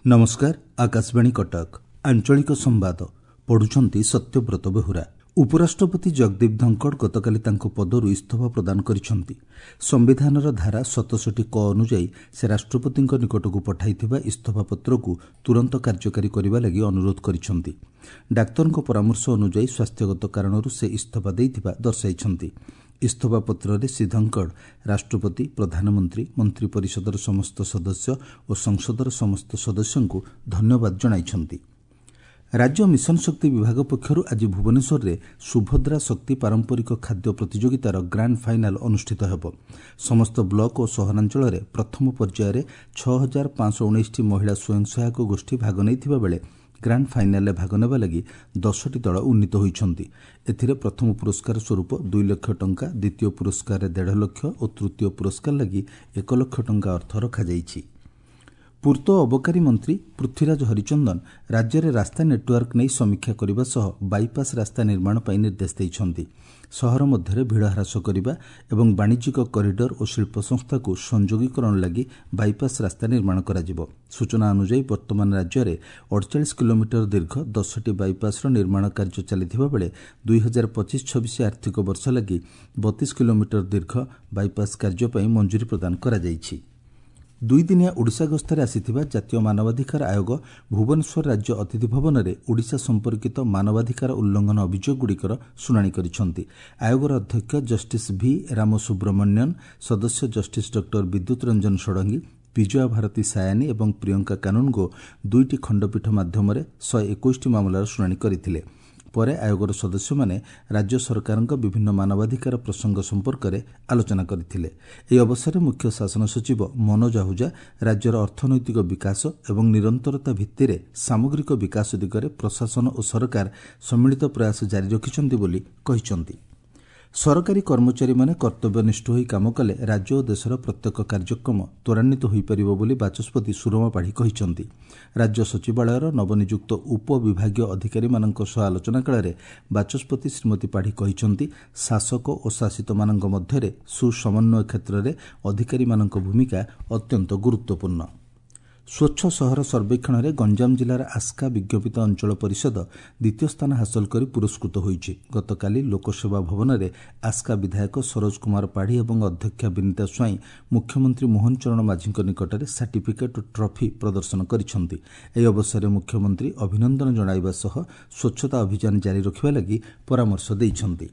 ନମସ୍କାର, ଆକାଶବାଣୀ କଟକ, ଆଞ୍ଚଳିକ ସମ୍ବାଦ ପଢୁଛନ୍ତି ସତ୍ୟବ୍ରତ ବେହୁରା। ଉପରାଷ୍ଟ୍ରପତି ଜଗଦୀପ ଧନଖଡ଼ ଗତକାଲି ତାଙ୍କ ପଦରୁ ଇସ୍ତଫା ପ୍ରଦାନ କରିଛନ୍ତି। ସମ୍ବିଧାନର ଧାରା 67 କ ଅନୁଯାୟୀ ସେ ରାଷ୍ଟ୍ରପତିଙ୍କ ନିକଟକୁ ପଠାଇଥିବା ଇସ୍ତଫା ପତ୍ରକୁ ତୁରନ୍ତ କାର୍ଯ୍ୟକାରୀ କରିବା ଲାଗି ଅନୁରୋଧ କରିଛନ୍ତି। ଡାକ୍ତରଙ୍କ ପରାମର୍ଶ ଅନୁଯାୟୀ ସ୍ୱାସ୍ଥ୍ୟଗତ କାରଣରୁ ସେ ଇସ୍ତଫା ଦେଇଥିବା ଦର୍ଶାଇଛନ୍ତି। ଇସ୍ତଫା ପତ୍ରରେ ଶ୍ରୀ ଧନଖଡ଼ ରାଷ୍ଟ୍ରପତି, ପ୍ରଧାନମନ୍ତ୍ରୀ, ମନ୍ତ୍ରିପରିଷଦର ସମସ୍ତ ସଦସ୍ୟ ଓ ସଂସଦର ସମସ୍ତ ସଦସ୍ୟଙ୍କୁ ଧନ୍ୟବାଦ ଜଣାଇଛନ୍ତି। ରାଜ୍ୟ ମିଶନ ଶକ୍ତି ବିଭାଗ ପକ୍ଷରୁ ଆଜି ଭୁବନେଶ୍ୱରରେ ସୁଭଦ୍ରା ଶକ୍ତି ପାରମ୍ପରିକ ଖାଦ୍ୟ ପ୍ରତିଯୋଗିତାର ଗ୍ରାଣ୍ଡ ଫାଇନାଲ୍ ଅନୁଷ୍ଠିତ ହେବ। ସମସ୍ତ ବ୍ଲକ ଓ ସହରାଞ୍ଚଳରେ ପ୍ରଥମ ପର୍ଯ୍ୟାୟରେ 6519ଟି ମହିଳା ସ୍ୱୟଂ ସହାୟକ ଗୋଷ୍ଠୀ ଭାଗ ନେଇଥିବା ବେଳେ ଗ୍ରାଣ୍ଡ ଫାଇନାଲ୍ରେ ଭାଗ ନେବା ଲାଗି 10ଟି ଦଳ ଉନ୍ନୀତ ହୋଇଛନ୍ତି। ଏଥିରେ ପ୍ରଥମ ପୁରସ୍କାର ସ୍ୱରୂପ 2 ଲକ୍ଷ ଟଙ୍କା, ଦ୍ୱିତୀୟ ପୁରସ୍କାରରେ 1.5 ଲକ୍ଷ ଓ ତୃତୀୟ ପୁରସ୍କାର ଲାଗି 1 ଲକ୍ଷ ଟଙ୍କା ଅର୍ଥ ରଖାଯାଇଛି। ପୂର୍ତ୍ତ ଓ ଅବକାରୀ ମନ୍ତ୍ରୀ ପୃଥ୍ୱୀରାଜ ହରିଚନ୍ଦନ ରାଜ୍ୟରେ ରାସ୍ତା ନେଟୱାର୍କ ନେଇ ସମୀକ୍ଷା କରିବା ସହ ବାଇପାସ୍ ରାସ୍ତା ନିର୍ମାଣ ପାଇଁ ନିର୍ଦ୍ଦେଶ ଦେଇଛନ୍ତି। ସହର ମଧ୍ୟରେ ଭିଡ଼ ହ୍ରାସ କରିବା ଏବଂ ବାଣିଜ୍ୟିକ କରିଡର ଓ ଶିଳ୍ପ ସଂସ୍ଥାକୁ ସଂଯୋଗୀକରଣ ଲାଗି ବାଇପାସ୍ ରାସ୍ତା ନିର୍ମାଣ କରାଯିବ। ସୂଚନା ଅନୁଯାୟୀ ବର୍ତ୍ତମାନ ରାଜ୍ୟରେ 48 କିଲୋମିଟର ଦୀର୍ଘ 10ଟି ବାଇପାସ୍ର ନିର୍ମାଣ କାର୍ଯ୍ୟ ଚାଲିଥିବା ବେଳେ 2025-26 ଆର୍ଥିକ ବର୍ଷ ଲାଗି 32 କିଲୋମିଟର ଦୀର୍ଘ ବାଇପାସ୍ କାର୍ଯ୍ୟ ପାଇଁ ମଞ୍ଜୁରୀ ପ୍ରଦାନ କରାଯାଇଛି। ଦୁଇଦିନିଆ ଓଡ଼ିଶା ଗସ୍ତରେ ଆସିଥିବା ଜାତୀୟ ମାନବାଧିକାର ଆୟୋଗ ଭୁବନେଶ୍ୱର ରାଜ୍ୟ ଅତିଥି ଭବନରେ ଓଡ଼ିଶା ସମ୍ପର୍କିତ ମାନବାଧିକାର ଉଲ୍ଲଂଘନ ଅଭିଯୋଗଗୁଡ଼ିକର ଶୁଣାଣି କରିଛନ୍ତି। ଆୟୋଗର ଅଧ୍ୟକ୍ଷ ଜଷ୍ଟିସ୍ ଭି ରାମସୁବ୍ରମଣ୍ୟନ୍, ସଦସ୍ୟ ଜଷ୍ଟିସ୍ ଡକ୍ଟର ବିଦ୍ୟୁତ ରଞ୍ଜନ ଷଡ଼ଙ୍ଗୀ, ବିଜୟା ଭାରତୀ ସାୟାନୀ ଏବଂ ପ୍ରିୟଙ୍କା କାନୁନଗୋ ଦୁଇଟି ଖଣ୍ଡପୀଠ ମାଧ୍ୟମରେ 121ଟି ମାମଲାର ଶୁଣାଣି କରିଥିଲେ। ପରେ ଆୟୋଗର ସଦସ୍ୟମାନେ ରାଜ୍ୟ ସରକାରଙ୍କ ବିଭିନ୍ନ ମାନବାଧିକାର ପ୍ରସଙ୍ଗ ସମ୍ପର୍କରେ ଆଲୋଚନା କରିଥିଲେ। ଏହି ଅବସରରେ ମୁଖ୍ୟ ଶାସନ ସଚିବ ମନୋଜ ଆହୁଜା ରାଜ୍ୟର ଅର୍ଥନୈତିକ ବିକାଶ ଏବଂ ନିରନ୍ତରତା ଭିତ୍ତିରେ ସାମଗ୍ରିକ ବିକାଶ ଦିଗରେ ପ୍ରଶାସନ ଓ ସରକାର ସମ୍ମିଳିତ ପ୍ରୟାସ ଜାରି ରଖିଛନ୍ତି ବୋଲି କହିଛନ୍ତି। ସରକାରୀ କର୍ମଚାରୀମାନେ କର୍ତ୍ତବ୍ୟନିଷ୍ଠ ହୋଇ କାମ କଲେ ରାଜ୍ୟ ଓ ଦେଶର ପ୍ରତ୍ୟେକ କାର୍ଯ୍ୟକ୍ରମ ତ୍ୱରାନ୍ୱିତ ହୋଇପାରିବ ବୋଲି ବାଚସ୍ପତି ସୁରମା ପାଢ଼ୀ କହିଛନ୍ତି। ରାଜ୍ୟ ସଚିବାଳୟର ନବନିଯୁକ୍ତ ଉପବିଭାଗୀୟ ଅଧିକାରୀମାନଙ୍କ ସହ ଆଲୋଚନା କାଳରେ ବାଚସ୍ପତି ଶ୍ରୀମତୀ ପାଢ଼ୀ କହିଛନ୍ତି, ଶାସକ ଓ ଶାସିତମାନଙ୍କ ମଧ୍ୟରେ ସୁସମନ୍ୱୟ କ୍ଷେତ୍ରରେ ଅଧିକାରୀମାନଙ୍କ ଭୂମିକା ଅତ୍ୟନ୍ତ ଗୁରୁତ୍ୱପୂର୍ଣ୍ଣ। ସ୍ୱଚ୍ଛ ସହର ସର୍ବେକ୍ଷଣରେ ଗଞ୍ଜାମ ଜିଲ୍ଲାର ଆସ୍କା ବିଜ୍ଞପିତ ଅଞ୍ଚଳ ପରିଷଦ ଦ୍ୱିତୀୟ ସ୍ଥାନ ହାସଲ କରି ପୁରସ୍କୃତ ହୋଇଛି। ଗତକାଲି ଲୋକସେବା ଭବନରେ ଆସ୍କା ବିଧାୟକ ସରୋଜ କୁମାର ପାଢ଼ୀ ଏବଂ ଅଧ୍ୟକ୍ଷା ବିନିତା ସ୍ୱାଇଁ ମୁଖ୍ୟମନ୍ତ୍ରୀ ମୋହନ ଚରଣ ମାଝୀଙ୍କ ନିକଟରେ ସାର୍ଟିଫିକେଟ୍ ଓ ଟ୍ରଫି ପ୍ରଦର୍ଶନ କରିଛନ୍ତି। ଏହି ଅବସରରେ ମୁଖ୍ୟମନ୍ତ୍ରୀ ଅଭିନନ୍ଦନ ଜଣାଇବା ସହ ସ୍ୱଚ୍ଛତା ଅଭିଯାନ ଜାରି ରଖିବା ଲାଗି ପରାମର୍ଶ ଦେଇଛନ୍ତି।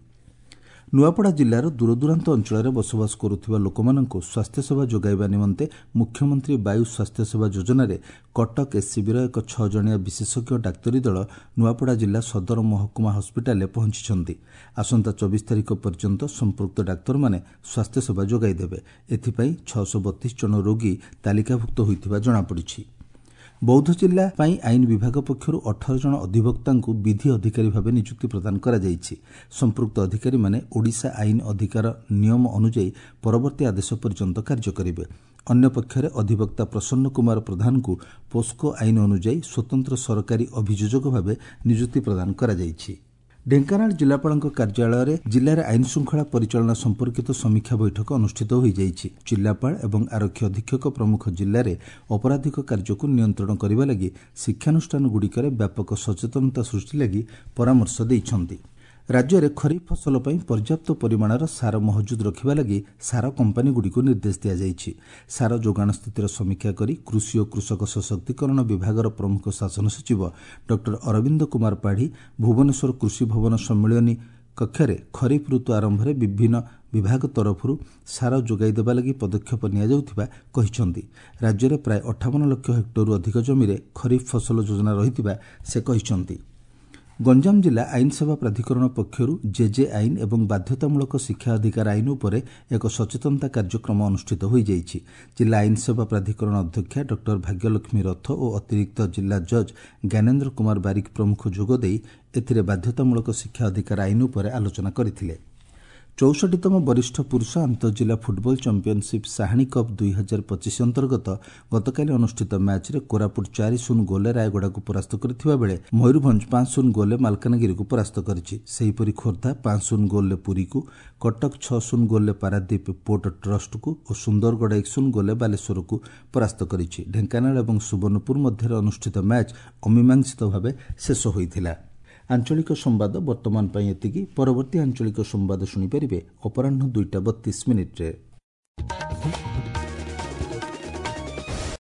ନୂଆପଡ଼ା ଜିଲ୍ଲାର ଦୂରଦୂରାନ୍ତ ଅଞ୍ଚଳରେ ବସବାସ କରୁଥିବା ଲୋକମାନଙ୍କୁ ସ୍ୱାସ୍ଥ୍ୟସେବା ଯୋଗାଇବା ନିମନ୍ତେ ମୁଖ୍ୟମନ୍ତ୍ରୀ ବାୟୁ ସ୍ୱାସ୍ଥ୍ୟସେବା ଯୋଜନାରେ କଟକ ଏସ୍ସିବିର ଏକ 6 ଜଣିଆ ବିଶେଷଜ୍ଞ ଡାକ୍ତରୀ ଦଳ ନୂଆପଡ଼ା ଜିଲ୍ଲା ସଦର ମହକୁମା ହସ୍ପିଟାଲରେ ପହଞ୍ଚିଛନ୍ତି। ଆସନ୍ତା 24 ତାରିଖ ପର୍ଯ୍ୟନ୍ତ ସମ୍ପୃକ୍ତ ଡାକ୍ତରମାନେ ସ୍ୱାସ୍ଥ୍ୟସେବା ଯୋଗାଇ ଦେବେ। ଏଥିପାଇଁ 632 ଜଣ ରୋଗୀ ତାଲିକାଭୁକ୍ତ ହୋଇଥିବା ଜଣାପଡ଼ିଛି। ବୌଦ୍ଧ ଜିଲ୍ଲା ପାଇଁ ଆଇନ ବିଭାଗ ପକ୍ଷରୁ 18 ଜଣ ଅଧିବକ୍ତାଙ୍କୁ ବିଧି ଅଧିକାରୀ ଭାବେ ନିଯୁକ୍ତି ପ୍ରଦାନ କରାଯାଇଛି। ସମ୍ପୃକ୍ତ ଅଧିକାରୀମାନେ ଓଡ଼ିଶା ଆଇନ ଅଧିକାର ନିୟମ ଅନୁଯାୟୀ ପରବର୍ତ୍ତୀ ଆଦେଶ ପର୍ଯ୍ୟନ୍ତ କାର୍ଯ୍ୟ କରିବେ। ଅନ୍ୟପକ୍ଷରେ ଅଧିବକ୍ତା ପ୍ରସନ୍ନ କୁମାର ପ୍ରଧାନଙ୍କୁ ପୋସ୍କୋ ଆଇନ ଅନୁଯାୟୀ ସ୍ୱତନ୍ତ୍ର ସରକାରୀ ଅଭିଯୋଜକ ଭାବେ ନିଯୁକ୍ତି ପ୍ରଦାନ କରାଯାଇଛି। ଢେଙ୍କାନାଳ ଜିଲ୍ଲାପାଳଙ୍କ କାର୍ଯ୍ୟାଳୟରେ ଜିଲ୍ଲାରେ ଆଇନ ଶୃଙ୍ଖଳା ପରିଚାଳନା ସମ୍ପର୍କିତ ସମୀକ୍ଷା ବୈଠକ ଅନୁଷ୍ଠିତ ହୋଇଯାଇଛି। ଜିଲ୍ଲାପାଳ ଏବଂ ଆରକ୍ଷୀ ଅଧୀକ୍ଷକ ପ୍ରମୁଖ ଜିଲ୍ଲାରେ ଅପରାଧିକ କାର୍ଯ୍ୟକୁ ନିୟନ୍ତ୍ରଣ କରିବା ଲାଗି ଶିକ୍ଷାନୁଷ୍ଠାନଗୁଡ଼ିକରେ ବ୍ୟାପକ ସଚେତନତା ସୃଷ୍ଟି ଲାଗି ପରାମର୍ଶ ଦେଇଛନ୍ତି। ରାଜ୍ୟରେ ଖରିଫ ଫସଲ ପାଇଁ ପର୍ଯ୍ୟାପ୍ତ ପରିମାଣର ସାର ମହଜୁଦ ରଖିବା ଲାଗି ସାର କମ୍ପାନୀଗୁଡ଼ିକୁ ନିର୍ଦ୍ଦେଶ ଦିଆଯାଇଛି। ସାର ଯୋଗାଣ ସ୍ଥିତିର ସମୀକ୍ଷା କରି କୃଷି ଓ କୃଷକ ସଶକ୍ତିକରଣ ବିଭାଗର ପ୍ରମୁଖ ଶାସନ ସଚିବ ଡକ୍ଟର ଅରବିନ୍ଦ କୁମାର ପାଢ଼ୀ ଭୁବନେଶ୍ୱର କୃଷି ଭବନ ସମ୍ମିଳନୀ କକ୍ଷରେ ଖରିଫ ଋତୁ ଆରମ୍ଭରେ ବିଭିନ୍ନ ବିଭାଗ ତରଫରୁ ସାର ଯୋଗାଇ ଦେବା ଲାଗି ପଦକ୍ଷେପ ନିଆଯାଉଥିବା କହିଛନ୍ତି। ରାଜ୍ୟରେ ପ୍ରାୟ 58 ଲକ୍ଷ ହେକ୍ଟରରୁ ଅଧିକ ଜମିରେ ଖରିଫ ଫସଲ ଯୋଜନା ରହିଥିବା ସେ କହିଛନ୍ତି। ଗଞ୍ଜାମ ଜିଲ୍ଲା ଆଇନ ସେବା ପ୍ରାଧିକରଣ ପକ୍ଷରୁ ଜେଜେ ଆଇନ ଏବଂ ବାଧ୍ୟତାମୂଳକ ଶିକ୍ଷା ଅଧିକାର ଆଇନ ଉପରେ ଏକ ସଚେତନତା କାର୍ଯ୍ୟକ୍ରମ ଅନୁଷ୍ଠିତ ହୋଇଯାଇଛି। ଜିଲ୍ଲା ଆଇନ ସେବା ପ୍ରାଧିକରଣ ଅଧ୍ୟକ୍ଷା ଡକ୍ଟର ଭାଗ୍ୟଲକ୍ଷ୍ମୀ ରଥ ଓ ଅତିରିକ୍ତ ଜିଲ୍ଲା ଜଜ୍ ଜ୍ଞାନେନ୍ଦ୍ର କୁମାର ବାରିକ ପ୍ରମୁଖ ଯୋଗଦେଇ ଏଥିରେ ବାଧ୍ୟତାମୂଳକ ଶିକ୍ଷା ଅଧିକାର ଆଇନ ଉପରେ ଆଲୋଚନା କରିଥିଲେ। 64ତମ ବରିଷ୍ଠ ପୁରୁଷ ଆନ୍ତଃଜିଲ୍ଲା ଫୁଟବଲ ଚାମ୍ପିୟନସିପ୍ ସାହାଣୀ କପ୍ 2025 ଅନ୍ତର୍ଗତ ଗତକାଲି ଅନୁଷ୍ଠିତ ମ୍ୟାଚ୍ରେ କୋରାପୁଟ 4-0 ଗୋଲରେ ରାୟଗଡ଼ାକୁ ପରାସ୍ତ କରିଥିବା ବେଳେ ମୟୂରଭଞ୍ଜ 5-0 ଗୋଲରେ ମାଲକାନଗିରିକୁ ପରାସ୍ତ କରିଛି। ସେହିପରି ଖୋର୍ଦ୍ଧା 5-0 ଗୋଲରେ ପୁରୀକୁ, କଟକ 6-0 ଗୋଲରେ ପାରାଦୀପ ପୋର୍ଟ ଟ୍ରଷ୍ଟକୁ ଓ ସୁନ୍ଦରଗଡ଼ 1-0 ଗୋଲରେ ବାଲେଶ୍ୱରକୁ ପରାସ୍ତ କରିଛି। ଢେଙ୍କାନାଳ ଏବଂ ସୁବର୍ଣ୍ଣପୁର ମଧ୍ୟରେ ଅନୁଷ୍ଠିତ ମ୍ୟାଚ୍ ଅମୀମାଂସିତ ଭାବେ ଶେଷ ହୋଇଥିଲା। ଆଞ୍ଚଳିକ ସମ୍ବାଦ ବର୍ତ୍ତମାନ ପାଇଁ ଏତିକି। ପରବର୍ତ୍ତୀ ଆଞ୍ଚଳିକ ସମ୍ବାଦ ଶୁଣିପାରିବେ ଅପରାହ୍ନ 2ଟା 32 ମିନିଟ୍ରେ।